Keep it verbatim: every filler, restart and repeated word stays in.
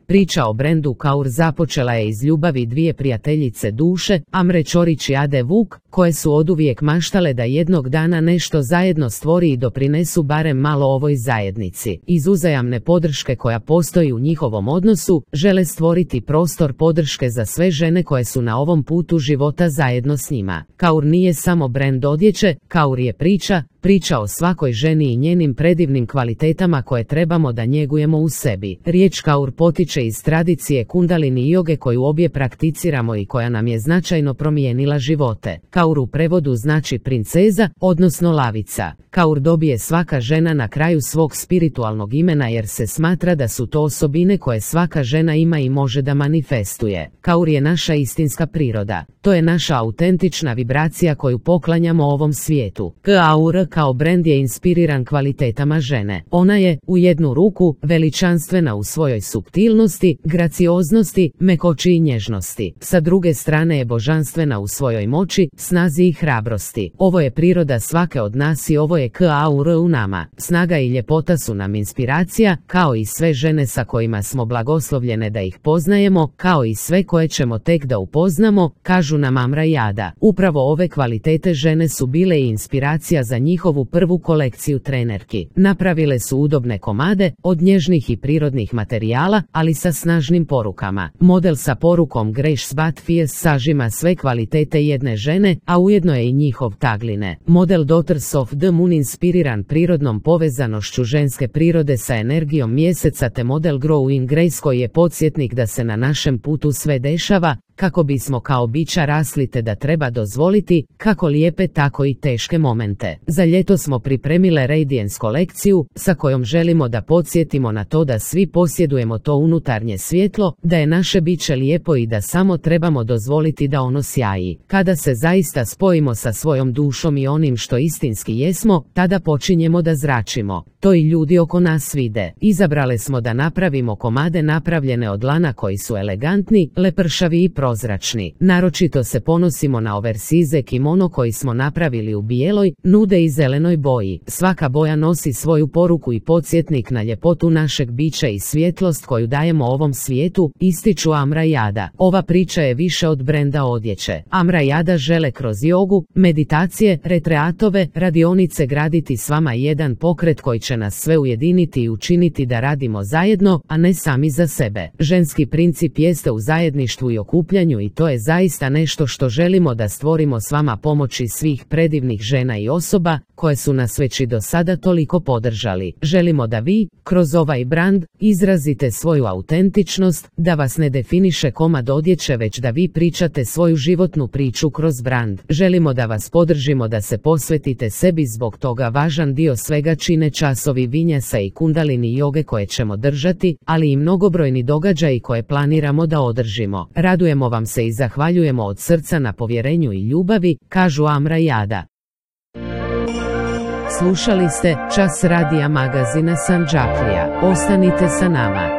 Priča o brendu Kaur započela je iz ljubavi dvije prijateljice duše, Amre Ćorić i Ade Vuk, koje su oduvijek maštale da jednog dana nešto zajedno stvori i doprinesu barem malo ovoj zajednici. Iz uzajamne podrške koja postoji u njihovom odnosu, žele stvoriti prostor podrške za sve žene koje su na ovom putu života zajedno s njima. Kaur nije samo brend odjeće, Kaur je priča, priča o svakoj ženi i njenim predivnim kvalitetama koje trebamo da njegujemo u sebi. Riječ Kaur potiče iz tradicije kundalini joge koju obje prakticiramo i koja nam je značajno promijenila živote. Kaur u prevodu znači princeza, odnosno lavica. Kaur dobije svaka žena na kraju svog spiritualnog imena jer se smatra da su to osobine koje svaka žena ima i može da manifestuje. Kaur je naša istinska priroda. To je naša autentična vibracija koju poklanjamo ovom svijetu. Kaur kao brend je inspiriran kvalitetama žene. Ona je, u jednu ruku, veličanstvena u svojoj suptilnosti, gracioznosti, mekoći i nježnosti. Sa druge strane je božanstvena u svojoj moći, snazi i hrabrosti. Ovo je priroda svake od nas i ovo je Kaur u nama. Snaga i ljepota su nam inspiracija, kao i sve žene sa kojima smo blagoslovljene da ih poznajemo, kao i sve koje ćemo tek da upoznamo, kažu nam Amra i Ada. Upravo ove kvalitete žene su bile i inspiracija za njihovu prvu kolekciju trenerki. Napravile su udobne komade, od nježnih i prirodnih materijala, ali sa snažnim porukama. Model sa porukom Grace but Fierce sažima sve kvalitete jedne žene, a ujedno je i njihov tagline. Model Daughters of the Moon inspiriran prirodnom povezanošću ženske prirode sa energijom mjeseca te model Growing Grace koji je podsjetnik da se na našem putu sve dešava, kako bismo kao bića rasli te da treba dozvoliti, kako lijepe tako i teške momente. Za ljeto smo pripremile Radiance kolekciju, sa kojom želimo da podsjetimo na to da svi posjedujemo to unutarnje svjetlo, da je naše biće lijepo i da samo trebamo dozvoliti da ono sjaji. Kada se zaista spojimo sa svojom dušom i onim što istinski jesmo, tada počinjemo da zračimo. To i ljudi oko nas vide. Izabrale smo da napravimo komade napravljene od lana koji su elegantni, lepršavi i prozračni. Naročito se ponosimo na oversize kimono koji smo napravili u bijeloj, nude i zelenoj boji. Svaka boja nosi svoju poruku i podsjetnik na ljepotu našeg bića i svjetlost koju dajemo ovom svijetu, ističu Amra i Ada. Ova priča je više od brenda odjeće. Amra i Ada žele kroz jogu, meditacije, retreatove, radionice graditi s vama jedan pokret koji će nas sve ujediniti i učiniti da radimo zajedno, a ne sami za sebe. Ženski princip jeste u zajedništvu i okupljanju i to je zaista nešto što želimo da stvorimo s vama pomoći svih predivnih žena i osoba koje su nas već i do sada toliko podržali. Želimo da vi, kroz ovaj brand, izrazite svoju autentičnost, da vas ne definiše komad odjeće već da vi pričate svoju životnu priču kroz brand. Želimo da vas podržimo da se posvetite sebi, zbog toga važan dio svega čine časovi vinjasa i kundalini joge koje ćemo držati, ali i mnogobrojni događaji koje planiramo da održimo. Radujemo vam se i zahvaljujemo od srca na povjerenju i ljubavi, kažu Amra i Ada. Slušali ste Čas radija magazina Sandžaklija. Ostanite sa nama.